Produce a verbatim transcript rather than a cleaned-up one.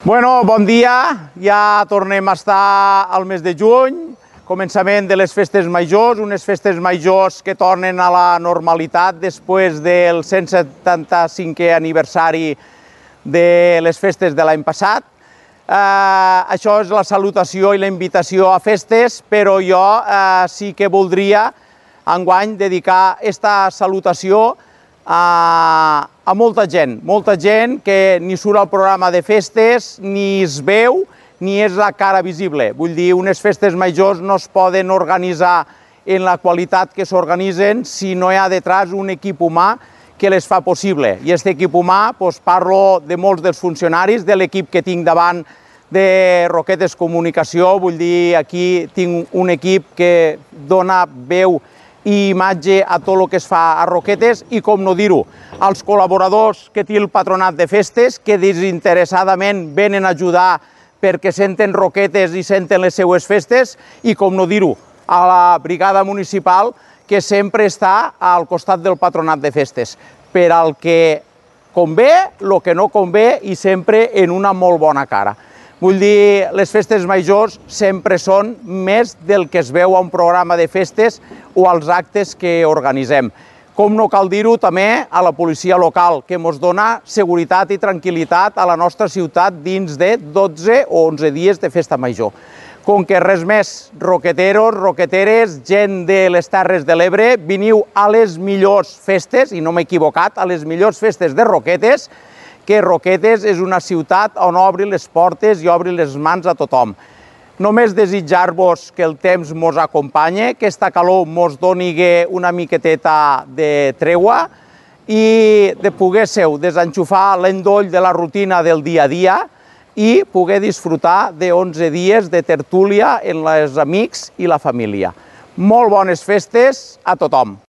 Bueno, bon dia, ja tornem a estar al mes de juny, començament de les festes majors, unes festes majors que tornen a la normalitat després del cent setanta-cinquè aniversari de les festes de l'any passat. Eh, això és la salutació i la invitació a festes, però jo eh, sí que voldria enguany dedicar aquesta salutació a, a molta gent, molta gent que ni surt al programa de festes, ni es veu, ni és la cara visible. Vull dir, unes festes majors no es poden organitzar en la qualitat que s'organitzen si no hi ha detrás un equip humà que les fa possible. I aquest equip humà, doncs, parlo de molts dels funcionaris, de l'equip que tinc davant de Roquetes Comunicació. Vull dir, aquí tinc un equip que dona veu i imatge a tot el que es fa a Roquetes i, com no dir-ho, als col·laboradors que té el Patronat de Festes, que desinteressadament venen a ajudar perquè senten Roquetes i senten les seues festes, i, com no dir-ho, a la brigada municipal, que sempre està al costat del Patronat de Festes, per al que convé, el que no convé, i sempre en una molt bona cara. Vull dir, les festes majors sempre són més del que es veu a un programa de festes o als actes que organitzem. Com no cal dir-ho també a la policia local, que ens dona seguretat i tranquil·litat a la nostra ciutat dins de dotze o onze dies de festa major. Com que res més, roqueteros, roqueteres, gent de les Terres de l'Ebre, veniu a les millors festes, i no m'he equivocat, a les millors festes de Roquetes, que Roquetes és una ciutat on obri les portes i obri les mans a tothom. Només desitjar-vos que el temps mos acompanye, que aquesta calor mos doni una miqueteta de tregua i de poguésseu desenxufar l'endoll de la rutina del dia a dia i poder disfrutar d'onze dies de tertúlia amb els amics i la família. Molt bones festes a tothom!